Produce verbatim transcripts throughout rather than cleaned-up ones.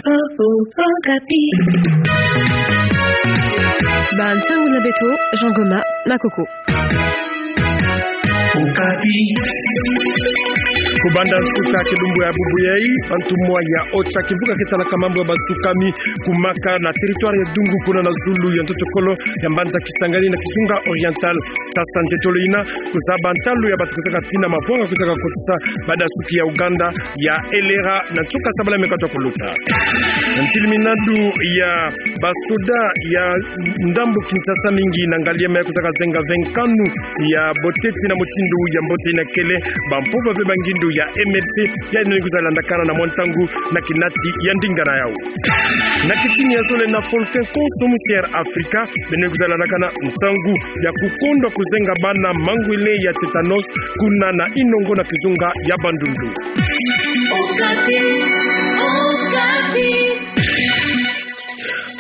Okapi. Bansangu na beto, Jean Goma na Coco. Okapi. Kubanda nsuka kilumbu ya bubu yai, bantumwa ya OCHA kimvuka kitalaka mambu ya basukami kumaka na territoire ya Dungu kuna na zulu ya ntotokolo ya mbanza Kisangani na kizunga Oriental. Sasa nzetolo ina kuzaba ntalu ya bato kuzaka tina mavwanga kuzaka kotisa badasuki ya Uganda ya Elera na nsuka sabala me kata kuluta. Na ntiliminadu ya basoda ya ndambu Kinshasa mingi na ngaliema ya kuzaka zenga ve nkanu ya boteti na motindo ya mbote ina kele bampova ve bangindu ya MLC ya ino ni kuzalandakana na mwa ntangu na kinati ya ndinga na yau. Na kitini ya zole na Volcan Konso mu Sierra Africa, beno kuzalandakana ntangu ya kukondwa kuzenga bana mangwele ya tétanos kuna na Inongo na kizunga ya Bandundu. Okapi, Okapi.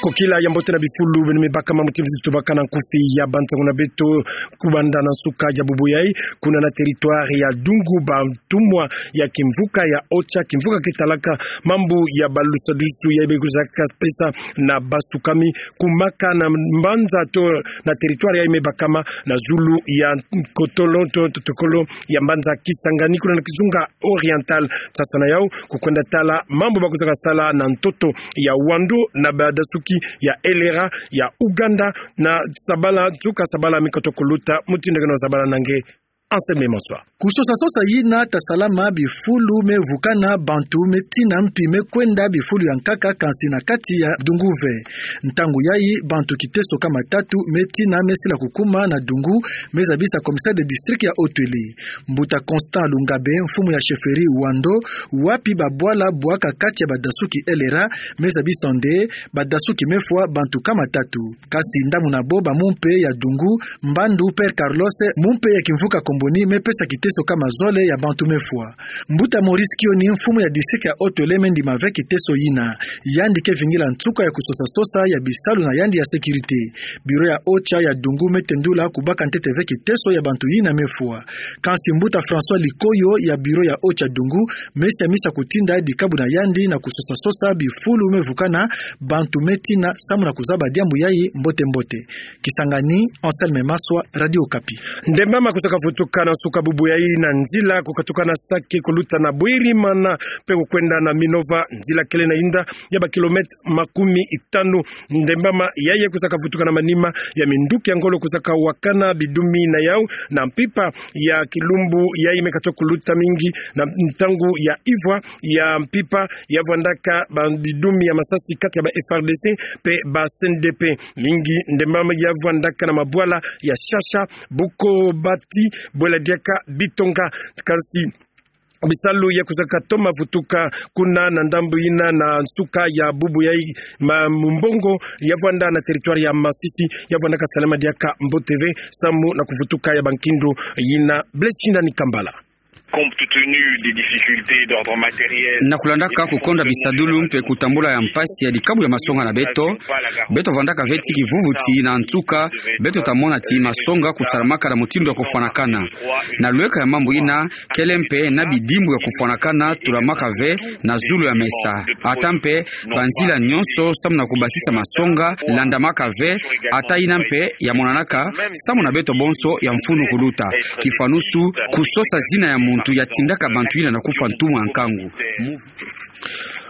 Kokila ya mbote na bifulu beno me bakama muti mbuti tubaka na nkufi ya bansangu na beto. Kubanda na nsuka ya bubu yai, kuna na territoire ya Dungu, bantumwa ya kimvuka ya OCHA kimvuka kitalaka mambu ya balusadusu yai be kuzaka pesa na basukami kumaka na mbanza to na territoire yai me bakama na zulu ya kotolo to ntotokolo ya mbanza Kisangani kuna na kizunga Oriental. Sasa na yau kukwenda tala mambu ba kuzaka sala na ntoto ya Wando na badasuki ya Elera ya Uganda na sabala nsuka sabala me kata kuluta. Mutindu ke no sabala na nge. Anselme Maswa. Kusosa sosa yina ta salama bifulu me vukana bantu me tina mpi me kwenda bifulu ya nkaka kansi na kati ya Dungu ve. Ntangu yai bantu kiteso kama tatu me tina me sila kukuma na Dungu, me zabisa commissaire de district ya Haut-Uele. Mbuta Constant Lungabe, mfumu ya chefferie Wando, wapi babwala bwaka kati ya badasuki Elera, me zabisa nde badasuki me fwa bantu kama tatu. Kasi ndamuna bo ba mumpe ya Dungu, Mbandu Père Carlos, mumpe ya kimvuka Comboni, me pesa kiteso kama zole ya bantu me fwa. Mbuta Maurice Kioni, mfumu ya district ya Haut-Uele, me ndima ve kiteso yina. Yandi ke vingila nsuka ya kusosa sosa ya bisalu na yandi ya sécurité. Bureau ya OCHA ya Dungu me tendula kubaka ntete ve kiteso ya bantu yina me fwa. Kansi mbuta François Likoyo ya bureau ya OCHA Dungu, me siamisa kutinda dikabu na yandi na kusosa sosa bifulu me vukana bantu me tina samu na kuzaba diambu yai mbote mbote. Kisangani, Anselme Maswa, Radio Okapi. Ndembama kuzaka vutuka na nsuka bubu yai na nzila kukatuka na Sake kuluta na Bwerimana mpe kukwenda na Minova, nzila kele na inda ya ba kilomètre makumi tanu. Ndembama yai kuzaka vutuka na manima ya minduki ya ngolo kuzaka wakana bidumi na yau na mpimpa ya kilumbu yai me kata kuluta mingi na ntangu ya ivwa ya mpimpa ya vwandaka ba bidumi ya masasi kati ya ba F R D C mpe ba C N D P. Mingi ndembama ya vwandaka na mabwala ya Shasha, Bukobati, bwela diaka Bitonga. Kansi bisalu ya kuzaka toma vutuka kuna na ndambu yina na nsuka ya bubu yai ma mumbongo ya vwanda na territoire ya Masisi, ya vwandaka salama diaka mbote ve samu na kuvutuka ya bankindu yina. Blaise Shindani Kambala. Compte tenu des difficultés d'ordre matériel. Na kulandaka kukonda bisadulu mpe kutambula ya mpasi ya dikabu ya masonga na beto, beto vwandaka ve ti kivuvuti na nsuka, beto ta mona ti masonga kusalamaka na mutindu ya kufwanakana. Na lweka ya mambu yina, kele mpe na bidimbu ya kufwanakana tulamaka ve na zulu ya mesa. Ata mpe banzila nyonso samu na kubasisa masonga landamaka ve, ata yina mpe ya monanaka samu na beto bonso ya mfunu kuluta. Kifwanusu, kusosa zina ya muntu ya tindaka bantu yina na kufwa ntumwa ya nkangu.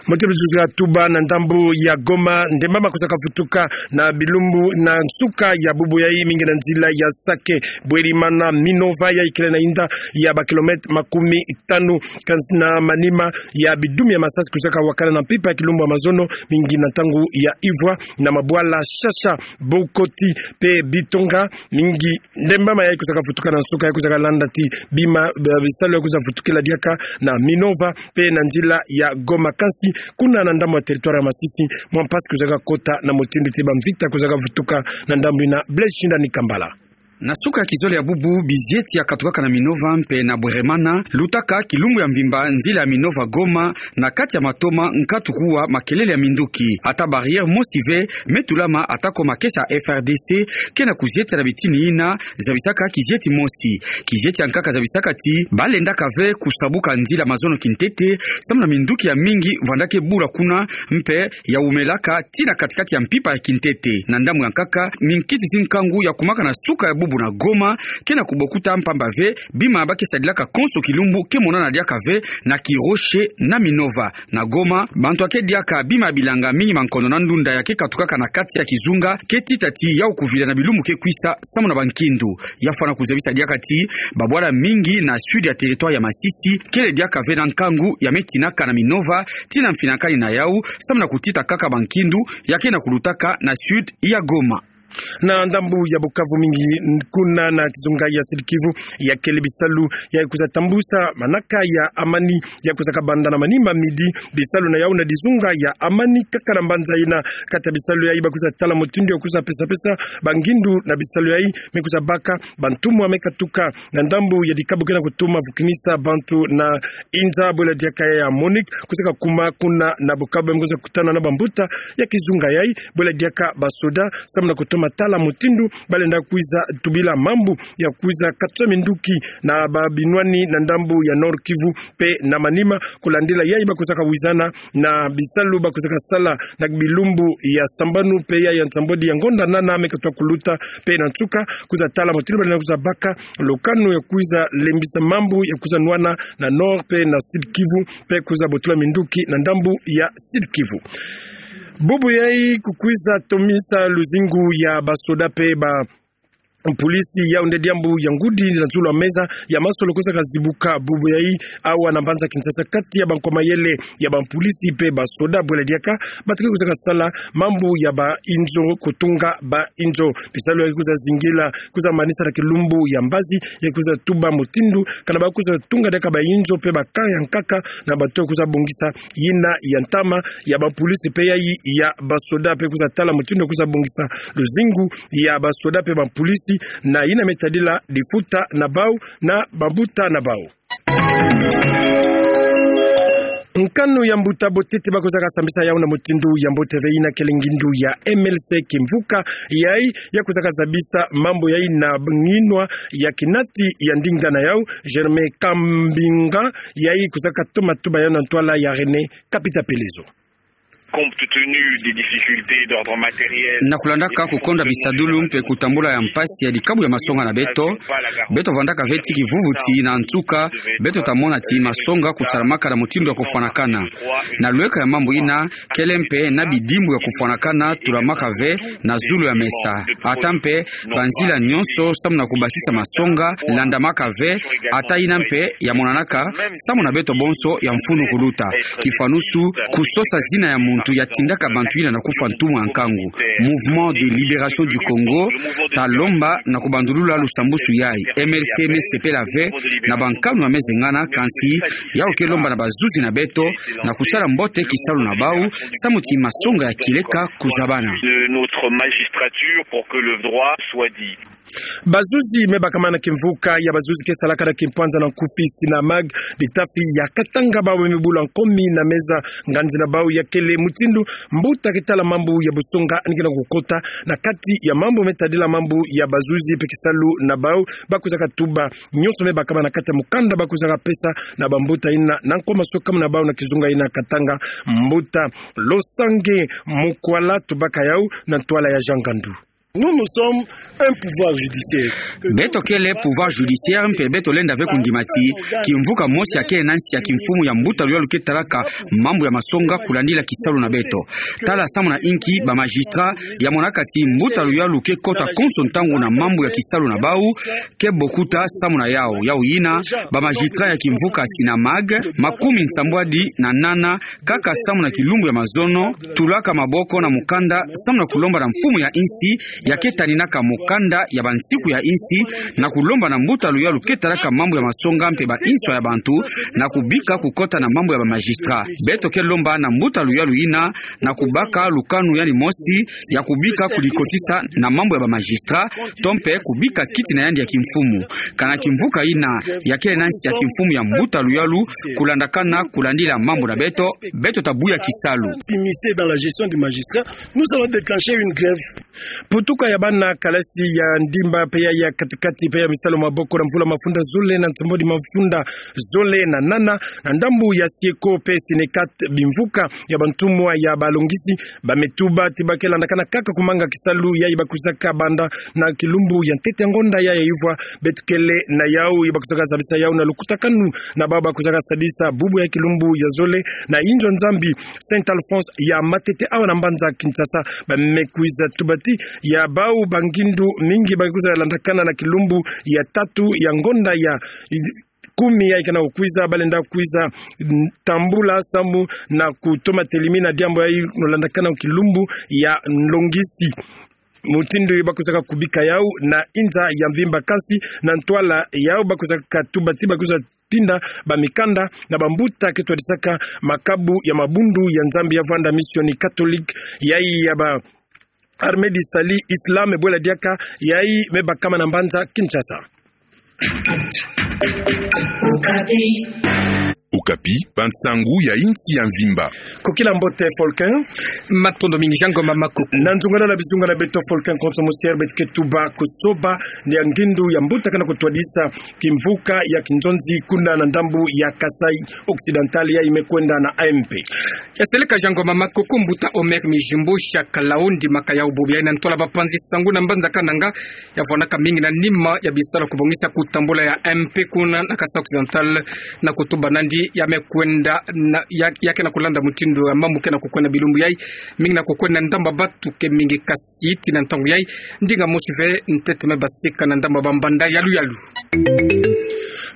Mbote bizuzu ya tuba na ndambu ya Goma, ndembama kuzaka vutuka na bilumbu na nsuka ya bubu yai mingi na nzila ya Sake, Bwerimana, Minova yai kele na inda ya ba kilomètre makumi tanu, kansi na manima ya bidumi ya masasi kuzaka wakana na mpimpa ya kilumbu ya mazono mingi na ntangu ya ivwa na mabwala Shasha, Bukoti mpe Bitonga. Mingi ndembama yai kuzaka vutuka na nsuka yai kuzaka landa ti bima, ba, bisalu yai kuza vutukila diaka na Minova mpe na nzila ya Goma. Kansi kuna na ndambu ya territoire ya Masisi, mwa mpasi kuzaka kota na mutindu ti bamvita kuzaka vutuka na ndambu yina. Blaise Shindani Kambala. Na suka ya kizole ya bubu, bizieti ya katukaka na Minova mpe na Bweremana lutaka kilumbu ya mvimba nzila ya Minova-Goma, na kati ya matoma nkatu kuwa makelele ya minduki. Ata barrière mosi ve me tulama, atako makesa ya F R D C ke na kuzieta na bitini yina zabisaka kizieti mosi. Kizieti ya nkaka zabisaka ti balendaka ve kusabuka nzila mazono kintete, samu na minduki ya mingi vandaka bula kuna mpe ya wumelaka tii na katikati ya mpimpa ya kintete. Na ndambu ya nkaka, minkiti zi nkangu ya kumaka na suka ya bubu na Goma ke na kubokuta, mpamba ve bima ba ke sadilaka konso kilumbu ke monana diaka ve na Kiroche na Minova. Na Goma, bantu ya ke diaka bima ya bilanga mingi mankono na ndunda ya ke katukaka na kati ya kizunga ke tita ti yau kuvila na bilumbu ke kwisa samu na bankindu. Ya fwana kuzabisa diaka ti babwala mingi na sud ya territoire ya Masisi kele diaka ve na nkangu ya me tinaka na Minova tii na mfinakani na yau, samu na kutita kaka bankindu ya ke na kulutaka na sud ya Goma. Na ndambu ya Bukavu mingi kuna na kizunga ya Sud-Kivu, ya kele bisalu ya kwiza tambusa manaka ya amani ya kwiza kabanda na manima midi, bisalu na yau na dizunga ya amani kaka na mbanza yina. Kati ya bisalu yayi ba kwiza tala mutindu ya kwiza pesa-pesa bangindu na bisalu yayi, me kwiza baka bantumwa me katuka na ndambu ya dikabu ke na kutuma vukinisa bantu na inza, bwela diaka ya MONUC kwiza kakuma kuna na Bukavu, me kwiza kutana na bambuta ya kizunga yayi, bwela diaka basoda, samu na kutuma tala mutindu ba lenda kwiza tubila mambu ya kwiza katsa minduki na babinwani na ndambu ya Nord-Kivu mpe na Maniema. Kulandila yayi ba kwiza kawizana na bisalu ba kwiza kasala na bilumbu ya sambanu mpe ya, ya nsambwadi ya ngonda nana me katwa kuluta, mpe na nsuka kwiza tala mutindu ba lenda kwiza baka lukanu ya kwiza lembisa mambu ya kwiza nwana na Nord mpe na Sud-Kivu, mpe kwiza botula minduki na ndambu ya Sud-Kivu. Bubu yayi ku kwiza tomisa luzingu ya basoda mpe ba mpulisi, yau nde diambu ya ngudi na zulu ya meza ya masolo kwiza kazibuka bubu yayi awa na mbanza Kinshasa, kati ya bankwa mayele ya bampulisi mpe basoda, bwela diaka bato ke kwiza kasala mambu ya bainzo, kutunga bainzo. Bisalu ya kwiza zingila, kwiza manisa na kilumbu ya mbazi, ya kwiza tuba mutindu kana ba kwiza tunga diaka bainzo mpe ba camp ya nkaka, na bato kwiza bongisa yina ya ntama ya bampulisi mpe yayi ya basoda, mpe kwiza tala mutindu kwiza bongisa luzingu ya basoda mpe bampulisi na yina me tadila difuta na bau na bambuta na bau. Nkanu ya mbuta botete ba kwiza kasambisa yau na mutindu ya mbote ve, yina kele ngindu ya M L C kimvuka yayi, ya kwiza kazabisa mambu yayi na nginwa ya kinati ya ndinga na yau, Germain Kambinga, yayi kwiza katoma tuba yau na ntwala ya René Kapita Pelezo. Compte tenu des difficultés d'ordre matériel. Na kulandaka kukonda bisadulu mpe kutambula ya mpasi ya dikabu ya masonga na beto, beto vandaka ve ti kivuvuti, na nsuka beto ta mona ti masonga kusalamaka na mutindu ya kufwanakana. Na lweka ya mambu yina, kele mpe na bidimbu ya kufwanakana tulamaka ve na zulu ya mesa. Ata mpe banzila nyonso samu na kubasisa masonga landamaka ve, ata yina mpe ya monanaka samu na beto bonso ya mfunu kuluta. Kifanusu, kusosa zina ya muntu ya tindaka bantu yina na kufwa ntumwa ya nkangu. Mouvement de Libération du Congo ta lomba na kubandulula lusambusu yayi. M L C me sepela ve na bankanu ya me zengana, kansi yau ke lomba na bazuzi na beto na kusala mbote kisalu na bau, samu ti masonga ya kieleka kuzabana. De notre magistrature pour que le droit soit dit. Bazuzi me bakama na kimvuka ya bazuzi ke salaka na kimpwanza na nkufi, Sinamag, litafi ya Katanga, bau me bula nkomi na meza nganzi na bau ya kele mutindu mbuta ke tala mambu ya busonga ni ke na kukota na kati ya mambu me tadila mambu ya bazuzi mpe kisalu na bau, ba kwiza katuba nyonso me bakama na kati ya mukanda ba kwiza kapesa na bambuta yina na nkwa masokamu na bau na kizunga yina Katanga. Mbuta Losange Mukwala tubaka yau na ntwala ya Jean Ngandu. Nous, nous sommes un pouvoir judiciaire. Beto kele pouvoir judiciaire mpe beto lenda ve kundima ti kimvuka mosi ya kele na nsi ya kimfumu ya mbuta luyalu ke talaka mambu ya masonga kulandila kisalu na beto. Tala samu na inki ba magistrat ya monaka ti mbuta luyalu ke kota konso ntangu na mambu ya kisalu na bau, ke bokuta samu na yau. Yau yina, ba magistrat ya kimvuka Sinamag makumi nsambwadi na nana, kaka samu na kilumbu ya mazono, tulaka maboko na mukanda samu na kulomba na mfumu ya insi ya ke taninaka mokanda ya bansiku ya insi, na kulomba na mbuta luyalu ke talaka mambu ya masonga mpe ba inswa ya bantu, na kubika kukota na mambu ya ba magistrat. Beto ke lomba na mbuta luyalu yina, na kubaka lukanu yandi mosi, ya kubika kudikotisa na mambu ya ba magistrat, to mpe kubika kiti na yandi ya kimfumu. Kana kimvuka yina, ya kele na nsi ya kimfumu ya mbuta luyalu, kulandakana, kulandila mambu na beto, beto ta buya kisalu. S'immiscer dans la gestion du magistrat, nous allons déclencher une grève. Putuka ya bana kalasi ya ndimba mpe ya, ya katikati mpe ya misalu maboko na mvula mafunda zole na nsombodi mafunda zole na nana, na ndambu ya Sieko mpe Sinekat bimvuka ya bantumwa ya balongisi, ba me tuba ti ba ke landakana kaka kumanga kisalu yayi ba kwizaka banda na kilumbu ya ntete ya ngonda ya ya ivwa, beto kele na yawu ya ba kwizaka sadisa yawu na lukutakanu na bawu ba kwizaka sadisa bubu ya kilumbu ya zole na inzo Nzambi Saint Alphonse ya Matete awa na mbanza Kinshasa, ba me kwiza tuba ti ya bawu bangindu mingi ba kwiza landakana na kilumbu ya tatu ya ngonda ya kumi yayi ke na kukwiza, ba lenda kwiza, mm, tambula samu na kutoma telimina diambu yayi no landakana kilumbu ya nlongisi. Mutindu ba kwizaka kubika yawu na inza ya mvimba, kasi na ntwala yawu ba kwizaka tuba ti ba kwiza tinda ba mikanda na bambuta ke twadisaka makabu ya mabundu ya Nzambi ya vwanda misioni catholique yayi ya ba Armée du Salut Islam, bwela diaka yayi me bakama na mbanza Kinshasa. Okapi, bansangu ya insi ya mvimba. Kokila mbote Folkin. Matondo mingi Jean Ngoma Makoko. Na nzungalala bizunga na beto Folkin Konso Musier, beto ke tuba kusoba ni ya ngindu ya mbuta ke na kutwadisa kimvuka ya kinzonzi kuna na ndambu ya Kasaï Occidental yayi me kwenda na A M P. Ya seleka Jean Ngoma Makoko, mbuta Omer Mijimbo, Shaka Laondi, maka yawu bubu yayi na ntwala bapanzi sangu na mbanza Kananga, ya vwanaka mingi na nima ya bisalu ya kubongisa kutambula ya A M P kuna na Kasaï Occidental, na kutuba nandi ya me kwenda na, ya, ya ke na kulanda mutindu ya mambu ke na kukwenda bilumbu yayi, mingi na kukwenda ndambu ya batu ke mingi kasi ti na ntangu yayi, ndinga mosi ve ntete me basika na ndambu ya bambanda yalu yalu.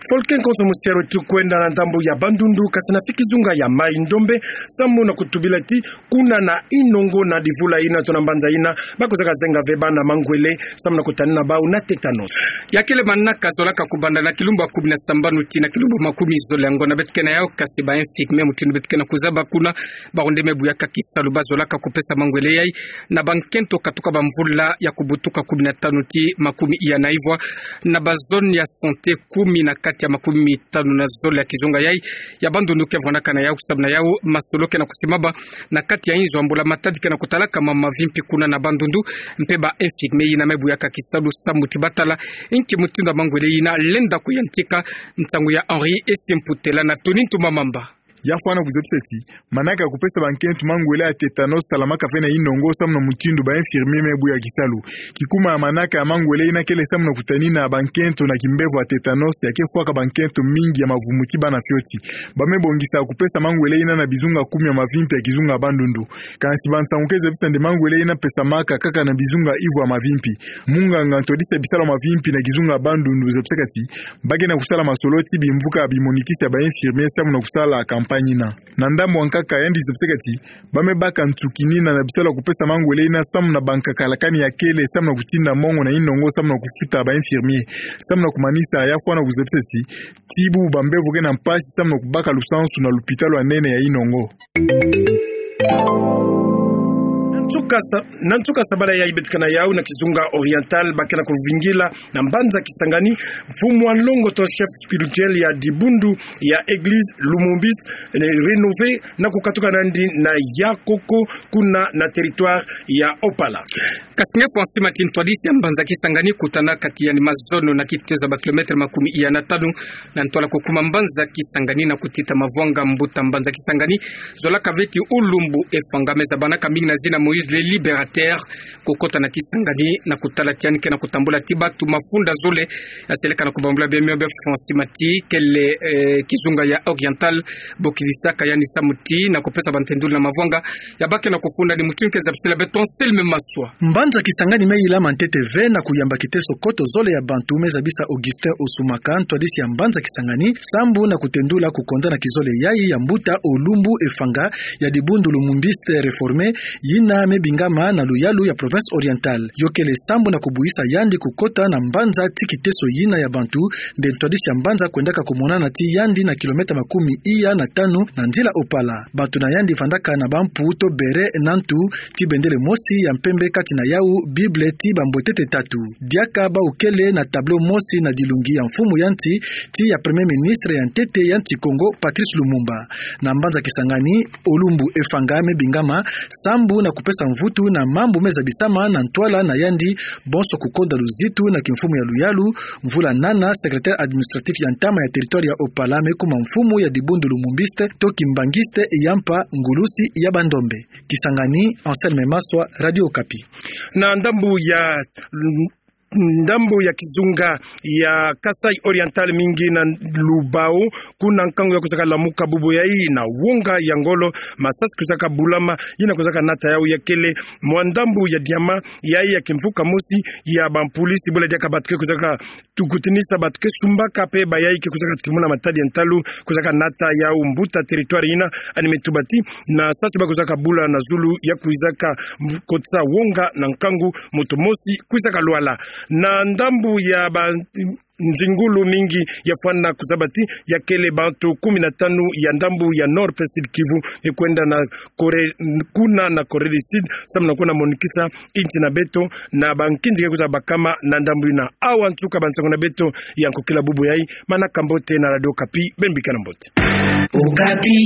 Folkin Konso Musier, tukwenda na ndambu ya Bandundu, kasi na fiki zunga ya Mai-Ndombe, samu na kutubila ti kuna na Inongo na divula yina to na mbanza yina, ba kwizaka zenga ve bana mangwele, samu na kutanina bawu na tétanos. Ya kele manaka zolaka kubanda na kilumbu ya kumi na sambanu tii na kilumbu ya makumi zole ya ngonda, beto ke na yawu kasi ba infirmier mutindu beto ke na kuzaba kuna, bawu nde me buyaka kisalu, ba zolaka kupesa mangwele yayi na bankento katuka bamvula ya kubutuka kumi na tanu tii makumi iya na ivwa, na ba zone ya santé kumi na kati ya makumi tanu na zole ya kizunga yayi ya Bandundu ke vwanaka na yawu, samu na yawu masolo ke na kusimama na kati ya inzo ya mbula-matadi ke na kutalaka mama mavimpi kuna na Bandundu, mpe ba infirmier yina me buyaka kisalu samu ti ba tala inki mutindu ya mangwele yina lenda kuyantika. Nsangu ya Henri Esimputela na Tony Ntumamamba. Ya fwana kuzabisa ti manaka ya kupesa bankento mangwele ya tétanos salamaka ve na Inongo samu na mutindu ba infirmier me buya kisalu. Kikuma ya manaka ya mangwele yina kele samu na kutanina bankento na kimbevo ya tétanos, ya ke fwaka bankento mingi ya mavumu ti bana fioti. Ba me bongisa kupesa mangwele yina na bizunga kumi ya mavimpi ya kizunga ya Bandundu. Kansi bansangu ke zabisa nde mangwele yina pesamaka kaka na bizunga ivwa ya mavimpi. Munganga ntwadisi ya bisalu ya mavimpi na kizunga ya Bandundu zabisaka ti ba ke na kusala masolo ti bimvuka ya bimonikisi ya ba infirmier samu na kusala campagne yina. Na ndambu ya nkaka, yandi zabisaka ti ba me baka nsukinina na bisalu ya kupesa mangwele yina samu na bankaka lakani ya kele samu na kutinda mongo na Inongo samu na kufuta ba infirmier. Samu na kumanisa, ya fwana kuzabisa ti ti bubu bambevo ke na mpasi samu na kubaka lusansu na lupitalu ya nene ya Inongo. Na nsuka sa-, na nsuka sabala yayi beto ke na yawu na kizunga Oriental, ba ke na kuvingila na mbanza Kisangani mfumu wa nlongo to chef spirituel ya dibundu ya église Lumumbiste, eh, rénové na kukatuka nandi na Yakoko kuna na territoire ya Opala. Kasi nge fwa nsima ti ntwadisi ya mbanza Kisangani kutana kati ya ni mazono na kitezo ya ba kilomètre makumi iya na tanu na ntwala kukuma mbanza Kisangani na kutita mavwanga. Mbuta mbanza Kisangani zolaka ve ti Lumumbu Efanga me zabanaka mingi na zina Moïse le Libérateur kukota na Kisangani na kutala ti yandi ke na kutambula ti batu mafunda zole. Ya seleka na kubambula bia mio bia fwa nsima ti kele, eh, kizunga ya Oriental bokidisaka yandi samu ti na kupesa bantenduli na mavwanga ya ba ke na kufunda. Ni mutindu ke zabisila beto Anselme Maswa. Mbanza Kisangani me yilama ntete ve na kuyamba kiteso koto zole ya bantu, me zabisa Augustin Osumaka, ntwadisi ya mbanza Kisangani, sambu na kutendula kukonda na kizole yayi ya mbuta Lumumbu Efanga ya dibundu Lumumbiste réformé, yina me Bingama na luyalu ya Province Orientale. Yo kele sambu na kubuisa yandi kukota na mbanza ti kiteso yina ya bantu, nde ntwadisi ya mbanza kwendaka kumonana ti yandi na kilomètre makumi iya na tanu na nzila Opala. Bantu na yandi vandaka na bampu to beret na ntu ti bendele mosi ya mpembe, kati na yawu Bible ti bambwetete tatu. Diaka bawu kele na tableau mosi na dilungi ya mfumu ya nti, ti ya Premier Ministre ya ntete ya nti Kongo, Patrice Lumumba. Na mbanza Kisangani, Olumbu Efanga me bingama sambu na kupesa mvutu na mambu me zabisama na ntwala na yandi, bonso kukonda luzitu na kimfumu ya luyalu. Mvula nana, secrétaire administratif ya ntama ya territoire ya Opala me kuma mfumu ya dibundu lumumbiste to kimbanguiste, ya mpa ngulusi ya bandombe. Kisangani, Anselme Maswa, Radio Okapi. Na ndambu ya, ndambu ya kizunga ya Kasaï Oriental, mingi na Lubao, kuna nkangu ya kwizaka lamuka bubu yayi na wonga ya ngolo, masasi kwizaka bulama, yina kwizaka nata yawu ya kele mwa ndambu ya diama, yayi ya kimvuka mosi ya bampulisiti, bula diaka bato ke kwizaka tukutinisa bato ke sumbaka pe bayayi ke kwizaka timuna matadi ya ntalu, kwizaka nata yawu mbuta territoire yina, yandi me tuba ti na sasi ba kwizaka bula na zulu ya kwizaka kotisa wonga na nkangu, moto mosi kwizaka lwala. Na ndambu ya ba nzingulu mingi ya fwana kuzaba ti ya kele bato kumi na tanu ya ndambu ya Nord pe Sud Kivu, e kwenda na Corée, kuna na Corée du Sud, samu na kuna monikisa inti na beto na bankinzi ke kwiza bakama na ndambu yina. Awa nsuka bansango na beto ya nkokila bubu yayi. Manaka mbote na Radio Okapi, beno bikana mbote. Okapi.